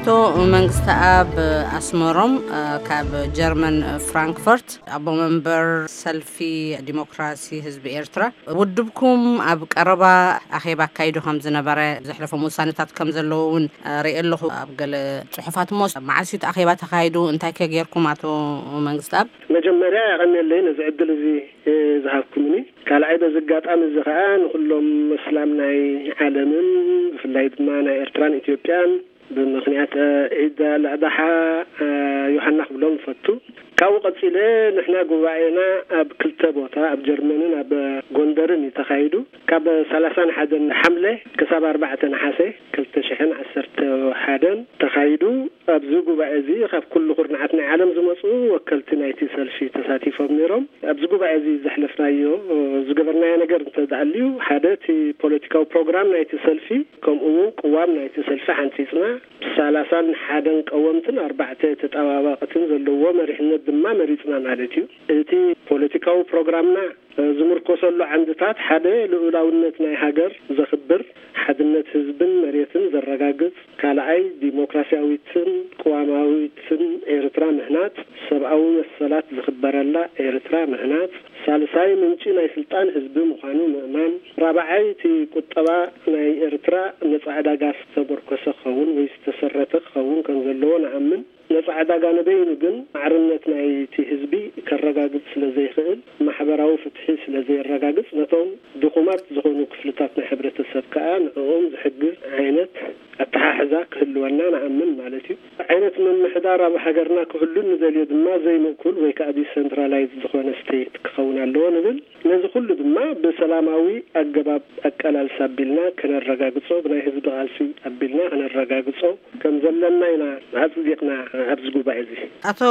ኣቶ መንግስቲ ኣብ ኣስመሮም፣ እ፣ ካብ ጀርመን ፍራንክፈርት፣ ኣቦ መንበር ሰልፊ ዲሞክራሲ ህዝቢ ኤርትራ፣ ውድብኩም ኣብ ቀረባ ኣኼባ ኣካይዱ ከም ዝነበረ፣ ዘሕለፎም ውሳነታት ከም ዘለዎ እውን፣ እ፣ ርኢ ኣለኹ ኣብ ገለ ጽሑፋት። እሞ መዓስ እዩ እቲ ኣኼባ ተኻይዱ? እንታይ ከ ጌርኩም ኣቶ መንግስቲ ኣብ? መጀመርያ የቐንየለይ ነዚ ዕድል እዚ፣ እ፣ ዝሃብኩምኒ። ካልኣይ በዚ ኣጋጣሚ እዚ ኸኣ ንኹሎም መስላም ናይ ዓለምን ብፍላይ ድማ ናይ ኤርትራን ኢትዮጵያን ብምኽንያት፣ እ፣ ዒድ ኣልኣድሓ፣ እ፣ ዮሃና ክብሎም እፈቱ። ካብኡ ቀጺለ ንሕና ጉባኤና ኣብ ክልተ ቦታ ኣብ ጀርመንን ኣብ ጎንደርን እዩ ተኻይዱ። ካብ ሰላሳን ሓደን ሓምለ ክሳብ ኣርባዕተ ነሓሰ ክልተ ሽሕን ዓሰርተ ሓደን ተኻይዱ። ኣብዚ ጉባኤ እዚ ካብ ኩሉ ኩርናዓት ናይ ዓለም ዝመጹ ወከልቲ ናይቲ ሰልፊ ተሳቲፎም ነይሮም። ኣብዚ ጉባኤ እዚ ዘሕለፍናዮ፣ ዝገበርናዮ ነገር እንተ ደኣ ኣልዩ፣ ሓደ እቲ ፖለቲካዊ ፕሮግራም ናይቲ ሰልፊ፣ ከምኡ እውን ቅዋም ናይቲ ሰልፊ ሓንጺጽና፣ ሰላሳን ሓደን ቀወምትን ኣርባዕተ ተጠባባቕትን ዘለዎ መሪሕነት ድማ መሪጽና ማለት እዩ። እቲ ፖለቲካዊ ፕሮግራምና ዝምርኮሰሉ ዓንድታት ሓደ ልኡላውነት ናይ ሃገር ዘኽብር፣ ሓድነት ህዝብን መሬትን ዘረጋግጽ፣ ካልኣይ ዲሞክራሲያዊትን ቅዋማዊትን ኤርትራ ምህናጽ፣ ሰብኣዊ መሰላት ዝኽበረላ ኤርትራ ምህናጽ፣ ሳልሳይ ምንጪ ናይ ስልጣን ህዝቢ ምዃኑ ምእማን፣ ራብዓይ እቲ ቁጠባ ናይ ኤርትራ ነጻ ዕዳጋ ዝተመርኮሰ ክኸውን ወይ ዝተሰረተ ክኸውን ከም ዘለዎ ንኣምን። ነጻ ዕዳጋ ንበይኑ ግን ማዕርነት ናይቲ ህዝቢ ከረጋግጽ ስለ ዘይኽእል፣ ማሕበራዊ ፍትሒ ስለ ዘየረጋግጽ፣ ነቶም ድኹማት ዝኾኑ ክፍልታት ናይ ሕብረተሰብ ከኣ ንዕኦም ዝሕግዝ ዓይነት ኣተሓሕዛ ክህልወና ንኣምን ማለት እዩ። ዓይነት ምምሕዳር ኣብ ሃገርና ክህሉ ንደልዮ ድማ ዘይምእኩል ወይ ከኣ ዲሰንትራላይዝ ዝኾነ ስቴት ክኸውን ኣለዎ ንብል። ነዚ ኩሉ ድማ ብሰላማዊ ኣገባብ ኣቀላልሳ ኣቢልና ከነረጋግጾ፣ ብናይ ህዝቢ ቃልሲ ኣቢልና ከነረጋግጾ ከም ዘለና ኢና ኣጽዲቕና ኣብዚ ጉባኤ እዚ። ኣቶ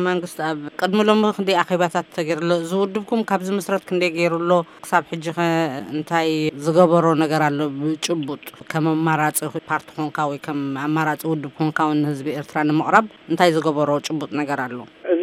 መንግስቲ፣ ኣብ ቅድሚ ሎሚ ክንደይ ኣኼባታት ተገይሩ ኣሎ? እዚ ውድብኩም ካብ ዝምስረት ክንደይ ገይሩ ኣሎ? ክሳብ ሕጂ ኸ እንታይ ዝገበሮ ነገር ኣሎ? ብጭቡጥ ከም ኣማራጺ ፓርቲ ኮንካ ወይ ከም ኣማራጺ ውድብ ኮንካ እውን ንህዝቢ ኤርትራ ንምቕራብ እንታይ ዝገበሮ ጭቡጥ ነገር ኣሎ? እዚ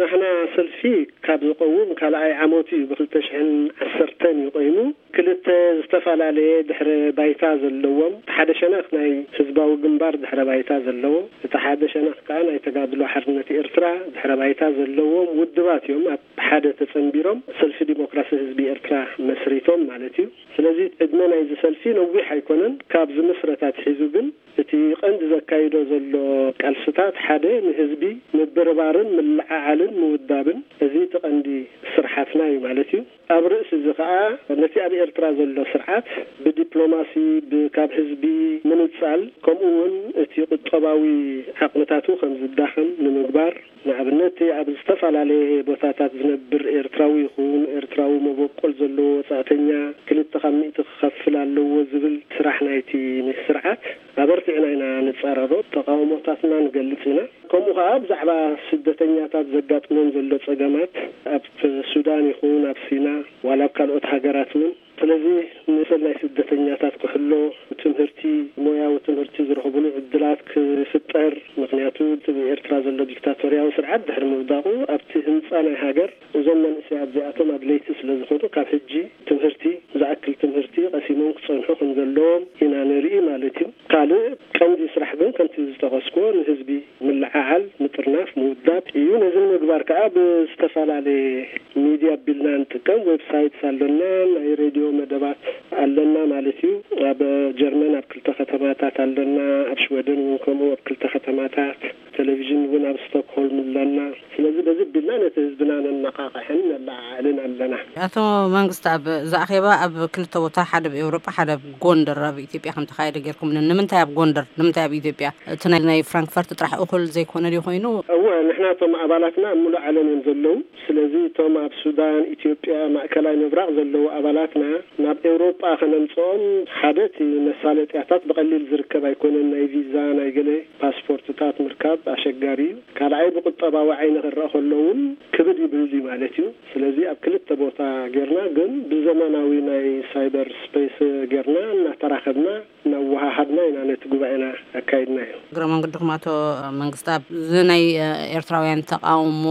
ናህና ሰልፊ ካብ ዝቐውም ካልኣይ ዓመቱ እዩ። ብክልተ ሽሕን ዓሰርተን እዩ ቆይሙ። ክልተ ዝተፈላለየ ድሕረ ባይታ ዘለዎም፣ እቲ ሓደ ሸነኽ ናይ ህዝባዊ ግንባር ድሕረ ባይታ ዘለዎ፣ እቲ ሓደ ሸነኽ ከኣ ናይ ተጋድሎ ሓርነት ኤርትራ ድሕረ ባይታ ዘለዎም ውድባት እዮም ኣብ ሓደ ተጸንቢሮም ሰልፊ ዲሞክራሲ ህዝቢ ኤርትራ መስሪቶም ማለት እዩ። ስለዚ ዕድመ ናይዚ ሰልፊ ነዊሕ ኣይኮነን። ካብ ዝምስረት ኣትሒዙ ግን እቲ ቀንዲ ዘካይዶ ዘሎ ቃልስታት ሓደ ንህዝቢ ምብርባርን ምልዕዓልን ምውዳብን፣ እዚ እቲ ቀንዲ ስርሓትና እዩ ማለት እዩ። ኣብ ርእሲ እዚ ኸኣ ነቲ ኣብ ኤርትራ ዘሎ ስርዓት ብዲፕሎማሲ፣ ብ-፣ ካብ ህዝቢ ምንጻል፣ ከምኡ እውን እቲ ቁጠባዊ ዓቕምታቱ ከም ዝዳኸም ንምግባር፣ ንኣብነት ኣብ ዝተፈላለየ ቦታታት ዝነብር ኤርትራዊ ይኹን ኤርትራዊ መበቆል ዘለዎ ወጻእተኛ ክልተ ካብ ሚእቲ ክኸፍል ኣለዎ ዝብል ስራሕ ናይቲ ስርዓት ኣበርቲዕና ኢና ንጻረሮ፣ ተቃውሞታትና ንገልጽ ኢና። ከምኡ ኸኣ ብዛዕባ ስደተኛታት ዘጋጥሞም ዘሎ ጸገማት ኣብ ሱዳን ይኹን ኣብ ሲና ዋላ ኣብ ካልኦት ሃገራት እውን፣ ስለዚ ንሰል ናይ ስደተኛታት ክሕሎ፣ ትምህርቲ፣ ሞያዊ ትምህርቲ ዝረኽብሉ ዕድላት ክፍጠር፣ ምኽንያቱ እቲ ብኤርትራ ዘሎ ዲክታቶርያዊ ስርዓት ድሕሪ ምውዳቑ ኣብቲ ህንጻ ናይ ሃገር እዞም መንእሰያት እዚኣቶም ኣድለይቲ ስለ ዝኾኑ ካብ ሕጂ ትምህርቲ፣ ዝኣክል ትምህርቲ ቀሲሞም ክጸንሑ ከም ዘለዎም ኢና ንርኢ ማለት እዩ። ካልእ ቀንዲ ስራሕ ግን ከምቲ ዝጠቐስኩዎ ንህዝቢ ምልዕዓል፣ ምጥርናፍ፣ ምውዳብ እዩ። ነዚ ንምግባር ከኣ ብዝተፈላለየ ሚድያ ኣቢልና ንጥቀም። ዌብሳይትስ ኣለና፣ ናይ ሬድዮ መደባት ኣለና ማለት እዩ። ኣብ ጀርመን ኣብ ክልተ ከተማታት ኣለና፣ ኣብ ሽወደን እውን ከምኡ ኣብ ክልተ ከተማታት፣ ቴሌቪዥን እውን ኣብ ስቶክሆልም ኣለና። ስለዚ በዚ ኣቢልና ነቲ ህዝብና ነነቓቕሕን ነለዓዕልን ኣለና። ኣቶ መንግስቲ፣ ኣብ፣ እዚ ኣኼባ ኣብ ክልተ ቦታ፣ ሓደ ኣብ ኤውሮጳ፣ ሓደ ኣብ ጎንደር ኣብ ኢትዮጵያ ከም ተኻየደ ጌርኩም፣ ን-፣ ንምንታይ ኣብ ጎንደር? ንምንታይ ኣብ ኢትዮጵያ? እቲ ናይ፣ ናይ ፍራንክፈርት ጥራሕ እኹል ዘይኮነ ድዩ ኮይኑ? እወ፣ ንሕና እቶም ኣባላትና ኣብ ሙሉእ ዓለም እዮም ዘለዉ። ስለዚ እቶም ኣብ ሱዳን፣ ኢትዮጵያ፣ ማእከላይ ምብራቕ ዘለዉ ኣባላትና ናብ ኤውሮጳ ከነምጽኦም፣ ሓደ እቲ መሳለጥያታት ብቐሊል ዝርከብ ኣይኮነን፣ ናይ ቪዛ፣ ናይ ገለ ፓስፖርትታት ምርካብ ኣሸጋሪ እዩ። ካልኣይ ብቁጠባዊ ዓይኒ ክረኣ ከሎ እውን ክብድ ይብል እዩ ማለት እዩ። ስለዚ ኣብ ክልተ ቦታ ጌርና ግን ብዘመናዊ ናይ ሳይበር ስፔስ ጌርና እናተራኸብና እናወሃሃድና ኢና ነቲ ጉባኤና ኣካይድናዮ። እግረ መንገድኩም ኣቶ መንግስቲ፣ ኣብዚ ናይ ኤርትራ ኤርትራውያን ተቃውሞ፣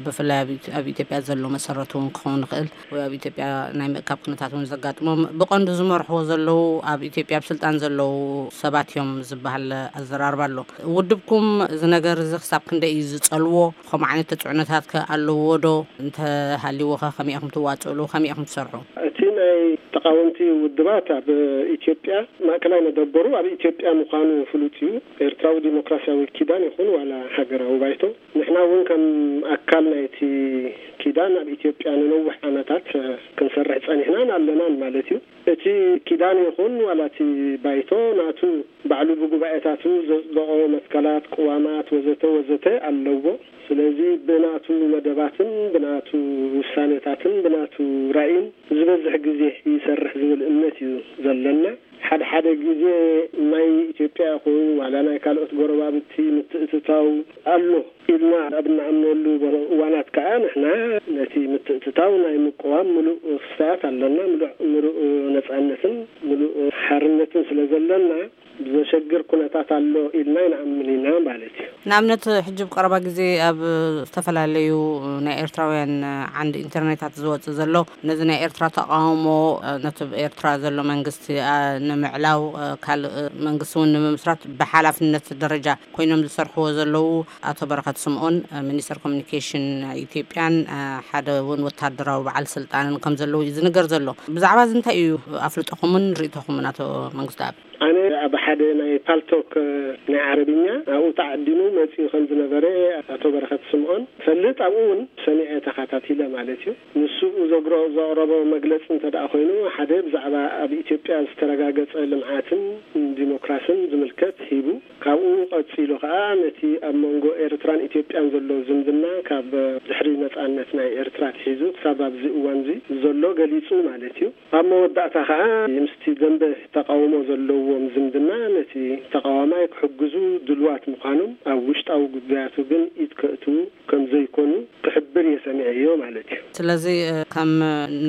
ብፍላይ ኣብ ኢት-፣ ኣብ ኢትዮጵያ ዘሎ መሰረቱ እውን ክኸውን ይኽእል፣ ወይ ኣብ ኢትዮጵያ ናይ ምእካብ ኩነታት እውን ዘጋጥሞም፣ ብቐንዱ ዝመርሕዎ ዘለዉ፣ ኣብ ኢትዮጵያ ኣብ ስልጣን ዘለዉ ሰባት እዮም ዝበሃል ኣዘራርባ ኣሎ። ውድብኩም እዚ ነገር እዚ ክሳብ ክንደይ እዩ ዝጸልዎ? ከምኡ ዓይነት ተጽዕኖታት ከ ኣለዎ ዶ? እንተሃልይዎ ከ ከመይ ኢኹም ትዋጽእሉ? ከመይ ኢኹም ትሰርሑ? እቲ ናይ ተቃወምቲ ውድባት ኣብ ኢትዮጵያ ማእከላይ መደበሩ ኣብ ኢትዮጵያ ምዃኑ ፍሉጥ እዩ። ኤርትራዊ ዲሞክራሲያዊ ኪዳን ይኹን ዋላ ሃገራዊ ባይቶ፣ ንሕና እውን ከም ኣካል ናይቲ ኪዳን ኣብ ኢትዮጵያ ንነዊሕ ዓመታት ክንሰርሕ ጸኒሕናን ኣለናን ማለት እዩ። እቲ ኪዳን ይኹን ዋላ እቲ ባይቶ ናቱ ባዕሉ ብጉባኤታቱ ዘጽደቖ መትከላት፣ ቅዋማት ወዘተ ወዘተ ኣለዎ። ስለዚ ብናቱ መደባትን ብናቱ ውሳኔታትን ብናቱ ራእይን ዝበዝሕ ግዜ ይሰርሕ ዝብል እምነት እዩ ዘለና። ሓደ ሓደ ግዜ ናይ ኢትዮጵያ ይኹን ዋላ ናይ ካልኦት ጎረባብቲ ምትእትታው ኣሎ ኢልና ኣብ እንኣምነሉ እዋናት ከኣ ንሕና ነቲ ምትእትታው ናይ ምቅዋም ምሉእ ክስታያት ኣለና። ምሉእ፣ ምሉእ ነጻነትን ምሉእ ሓርነትን ስለ ዘለና ብዘሸግር ኩነታት ኣሎ ኢልና ይንኣምን ኢና ማለት እዩ። ንኣብነት፣ ሕጂ ብቀረባ ግዜ ኣብ ዝተፈላለዩ ናይ ኤርትራውያን ዓንዲ ኢንተርኔታት ዝወጽእ ዘሎ፣ ነዚ ናይ ኤርትራ ተቃውሞ፣ ነቲ ኣብ ኤርትራ ዘሎ መንግስቲ፣ ኣ፣ ንምዕላው፣ እ፣ ካልእ መንግስቲ እውን ንምምስራት ብሓላፍነት ደረጃ ኮይኖም ዝሰርሕዎ ዘለዉ ኣቶ በረኸት ስምኦን፣ እ፣ ሚኒስተር ኮሚኒኬሽን ኢትዮጵያን፣ እ፣ ሓደ እውን ወታደራዊ በዓል ስልጣንን ከም ዘለዉ እዩ ዝንገር ዘሎ። ብዛዕባ እዚ እንታይ እዩ ኣፍልጦኹምን ርእይቶኹምን ኣቶ መንግስተኣብ? ኣነ ኣብ ሓደ ናይ ፓልቶክ ናይ ዓረብኛ ኣብኡ ተዓዲሙ መጺኡ ከም ዝነበረ ኣቶ በረኸት ስምኦን ፈልጥ፣ ኣብኡ እውን ሰሚዐ ተኸታቲለ ማለት እዩ። ንሱ ዘግሮ-፣ ዘቕረቦ መግለጺ እንተ ደኣ ኮይኑ፣ ሓደ ብዛዕባ ኣብ ኢትዮጵያ ዝተረጋገጸ ልምዓትን ዲሞክራስን ዝምልከት ሂቡ፣ ካብኡ ቀጺሉ ከኣ ነቲ ኣብ መንጎ ኤርትራን ኢትዮጵያን ዘሎ ዝምድና ካብ ድሕሪ ነጻነት ናይ ኤርትራ ኣትሒዙ ክሳብ ኣብዚ እዋንዚ ዘሎ ገሊጹ ማለት እዩ። ኣብ መወዳእታ ከኣ ምስቲ ደንበ ተቃውሞ ዘለዎም ዝምድና ነቲ ተቃዋማይ ክሕግዙ ድልዋት ምዃኖም፣ ኣብ ውሽጣዊ ጉዳያቱ ግን ኢድ ከእትዉ ከም ዘይኮኑ ክሕብር እየ ሰሚዐዮ ማለት እዩ። ስለዚ፣ እ፣ ከም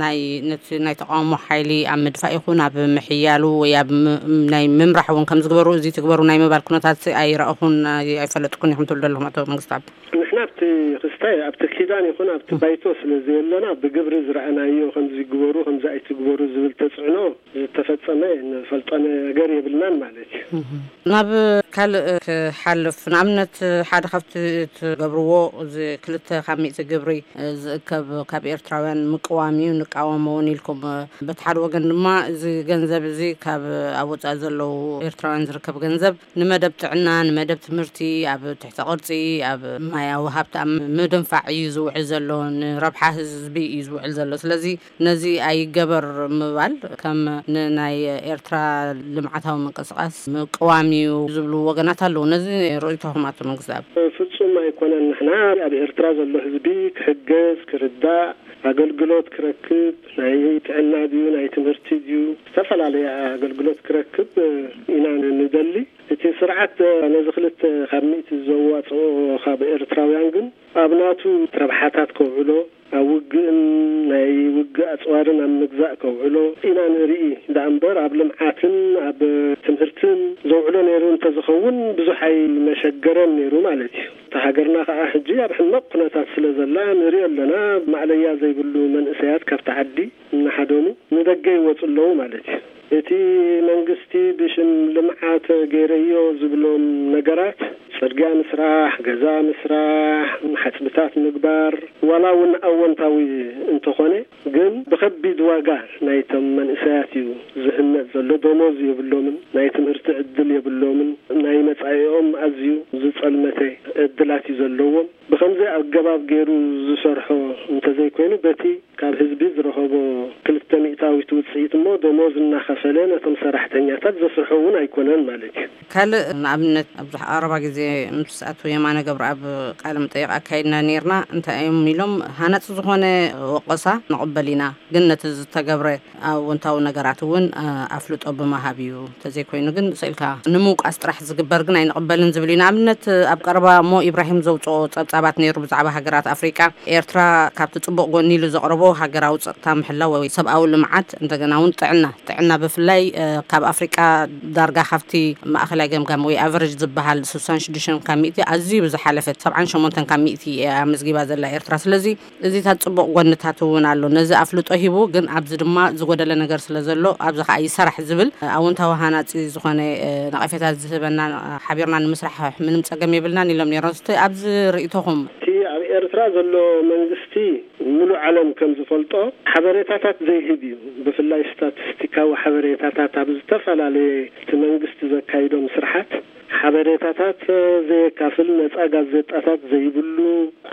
ናይ፣ ነቲ ናይ ተቃውሞ ሓይሊ ኣብ ምድፋእ ይኹን ኣብ ምሕያሉ ወይ ኣብ ም-፣ ናይ ምምራሕ እውን ከም ዝግበሩ፣ እዚ ትግበሩ ናይ ምባል ኩነታት ኣይረኣኹን፣ ኣይ-፣ ኣይፈለጥኩን ኢኹም ትብሉ ዘለኹም ኣቶ መንግስተኣብ? ንሕና ኣብቲ ክስታይ፣ ኣብቲ ኪዳን ይኹን ኣብቲ ባይቶ ስለ ዘየለና፣ ብግብሪ ዝረኣናዮ ከምዚ ግበሩ፣ ከምዚ ኣይትግበሩ ዝብል ተጽዕኖ ዝተፈጸመ ንፈልጦ ነገር የብልናን ማለት እዩ። እህ። ናብ ካልእ ክሓልፍ፣ ንኣብነት ሓደ ካብቲ ትገብርዎ፣ እዚ ክልተ ካብ ሚእቲ ግብሪ ዝእከብ ካብ ኤርትራውያን ምቅዋም እዩ፣ ንቃወሞ እውን ኢልኩም። በቲ ሓደ ወገን ድማ እዚ ገንዘብ እዚ ካብ ኣብ ወጻኢ ዘለዉ ኤርትራውያን ዝርከብ ገንዘብ ንመደብ ጥዕና፣ ንመደብ ትምህርቲ፣ ኣብ ትሕተ ቅርጺ፣ ኣብ ማያዊ ሃብቲ ኣብ ምድንፋዕ እዩ ዝውዕል ዘሎ፣ ንረብሓ ህዝቢ እዩ ዝውዕል ዘሎ። ስለዚ ነዚ ኣይገበር ምባል ከም ንናይ ኤርትራ ልምዓታዊ ምንቅስቃስ ምቅዋም እዩ ዝብሉ ወገናት ኣለዉ። ነዚ ርእይቶኹም ኣቶ መንግስተኣብ? ፍጹም ኣይኮነን። ንሕና ኣብ ኤርትራ ዘሎ ህዝቢ ክሕገዝ፣ ክርዳእ፣ ኣገልግሎት ክረክብ፣ ናይ ጥዕና ድዩ፣ ናይ ትምህርቲ ድዩ፣ ዝተፈላለየ ኣገልግሎት ክረክብ ኢና ንደሊ። እቲ ስርዓት ነዚ ክልተ ካብ ሚእቲ ዘዋጽኦ ካብ ኤርትራውያን ግን ኣብ ናቱ ረብሓታት ከውዕሎ፣ ኣብ ውግእን ናይ ውግእ ኣጽዋርን ኣብ ምግዛእ ከውዕሎ ኢና ንርኢ ደኣ እምበር፣ ኣብ ልምዓትን ኣብ ትምህርትን ዘውዕሎ ነይሩ እንተዝኸውን ብዙሕ ኣይመሸገረን ነይሩ ማለት እዩ። እታ ሃገርና ከኣ ሕጂ ኣብ ሕማቕ ኩነታት ስለ ዘላ ንሪኦ ኣለና። ማእለያ ዘይብሉ መንእሰያት ካብቲ ዓዲ እናሃደሙ ንደገ ይወጹ ኣለዉ ማለት እዩ። እቲ መንግስቲ ብሽም ልምዓት ገይረዮ ዝብሎም ነገራት፣ ጽርግያ ምስራሕ፣ ገዛ ምስራሕ፣ ሓጽብታት ምግባር፣ ዋላ እውን ኣወንታዊ እንተኾነ፣ ግን ብኸቢድ ዋጋ ናይቶም መንእሰያት እዩ ዝህነጽ ዘሎ። ደሞዝ የብሎምን፣ ናይ ትምህርቲ ዕድል የብሎምን፣ ናይ መጻኢኦም ኣዝዩ ዝጸልመተ ዕድላት እዩ ዘለዎም። ብኸምዚ ኣገባብ ገይሩ ዝሰርሖ እንተዘይኮይኑ፣ በቲ ካብ ህዝቢ ዝረኸቦ ክልተ ሚእታዊት ውጽኢት እሞ፣ ደሞዝ እናኸፈለ ነቶም ሰራሕተኛታት ዘስርሖ እውን ኣይኮነን ማለት እዩ። ካልእ ንኣብነት፣ ኣብዚ ቀረባ ግዜ ምስ ኣቶ የማነ ገብረኣብ ቃለ መጠይቕ ኣካይድና ነይርና። እንታይ እዮም ኢሎም፣ ሃናጺ ዝኾነ ወቐሳ ንቕበል ኢና፣ ግን ነቲ ዝተገብረ ኣወንታዊ ነገራት እውን፣ እ፣ ኣፍልጦ ብምሃብ እዩ። እንተዘይኮይኑ ግን ስኢልካ ንምውቃስ ጥራሕ ዝግበር ግን ኣይንቕበልን ዝብል እዩ። ንኣብነት፣ ኣብ ቀረባ እሞ ኢብራሂም ዘውፅኦ ጸብጻባት ነይሩ ብዛዕባ ሃገራት ኣፍሪቃ፣ ኤርትራ ካብቲ ጽቡቕ ጎኒ ኢሉ ዘቕረቦ ሃገራዊ ጸጥታ ምሕላው ወይ ሰብኣዊ ልምዓት እንደገና እውን ጥዕና፣ ጥዕና ብፍላይ፣ እ፣ ካብ ኣፍሪቃ ዳርጋ ካብቲ ማእኸላይ ገምጋም ወይ ኣቨሬጅ ዝበሃል ስሳን ሽዱሽተን ካብ ሚእቲ ኣዝዩ ብዝሓለፈ ሰብዓን ሸሞንተን ካብ ሚእቲ እያ ኣመዝጊባ ዘላ ኤርትራ። ስለዚ እዚታት ጽቡቕ ጎንታት እውን ኣሎ። ነዚ ኣፍልጦ ሂቡ፣ ግን ኣብዚ ድማ ዝጎደለ ነገር ስለ ዘሎ፣ ኣብዚ ከኣ ይሰራሕ ዝብል ኣወንታዊ ሃናጺ ዝኾነ፣ እ፣ ነቐፌታ ዝህበና፣ ሓቢርና ንምስራሕ ምንም ጸገም የብልናን ኢሎም ነይሮም። እስቲ ኣብዚ ርእይቶኹም? እቲ ኣብ ኤርትራ ዘሎ መንግስቲ፣ ሙሉእ ዓለም ከም ዝፈልጦ፣ ሓበሬታታት ዘይህብ እዩ። ብፍላይ ስታቲስቲካዊ ሓበሬታታት ኣብ ዝተፈላለየ እቲ መንግስቲ ዘካይዶም ስርሓት ሓበሬታታት ዘየካፍል፣ ነጻ ጋዜጣታት ዘይብሉ፣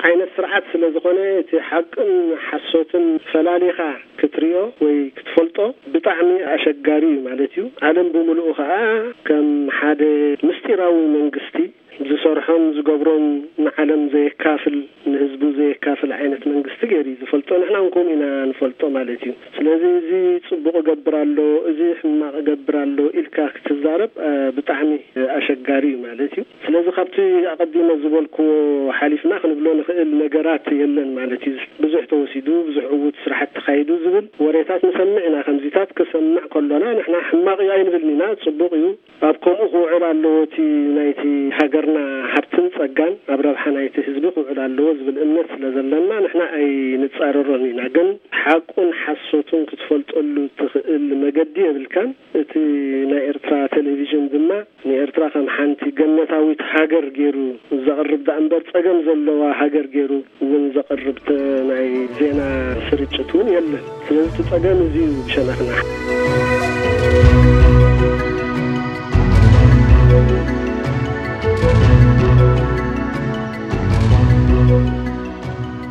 ዓይነት ስርዓት ስለ ዝኾነ፣ እቲ ሓቅን ሓሶትን ፈላሊኻ ክትሪኦ ወይ ክትፈልጦ ብጣዕሚ ኣሸጋሪ እዩ ማለት እዩ። ዓለም ብምሉኡ ኸኣ ከም ሓደ ምስጢራዊ መንግስቲ ዝሰርሖን ዝገብሮን ንዓለም ዘየካፍል፣ ንህዝቡ ዘየካፍል ዓይነት መንግስቲ ገይሩ እዩ ዝፈልጦ። ንሕና እውን ከምኡ ኢና ንፈልጦ ማለት እዩ። ስለዚ እዚ ጽቡቕ እገብር ኣሎ፣ እዚ ሕማቕ እገብር ኣሎ ኢልካ ክትዛረብ፣ እ፣ ብጣዕሚ ኣሸጋሪ እዩ ማለት እዩ። ስለዚ ካብቲ ኣቐዲመ ዝበልክዎ ሓሊፍና ክንብሎ ንኽእል ነገራት የለን ማለት እዩ። ብዙሕ ተወሲዱ፣ ብዙሕ ዕዉት ስራሕቲ ተኻይዱ ዝብል ወሬታት ንሰምዕ ኢና። ከምዚታት ክሰምዕ ከሎና ንሕና ሕማቕ እዩ ኣይንብልን ኢና፣ ጽቡቕ እዩ። ኣብ ከምኡ ክውዕል ኣለዎ፣ እቲ ናይቲ ሃገርና ሃብትን ጸጋን ኣብ ረብሓ ናይቲ ህዝቢ ክውዕል ኣለዎ ዝብል እምነት ስለ ዘለና ንሕና ኣይንጻረሮን ኢና። ግን ሓቁን ሓሶቱን ክትፈልጠሉ ትኽእል መገዲ የብልካን። እቲ ናይ ኤርትራ ቴሌቪዥን ድማ ንኤርትራ ከም ሓንቲ ገነታዊት ሃገር ገይሩ ዘቕርብ ደኣ እምበር ጸገም ዘለዋ ሃገር ገይሩ እውን ዘቕርብ ተ-፣ ናይ ዜና ስርጭት እውን የለን። ስለዚ እቲ ጸገም እዚ እዩ ብሸነኽና።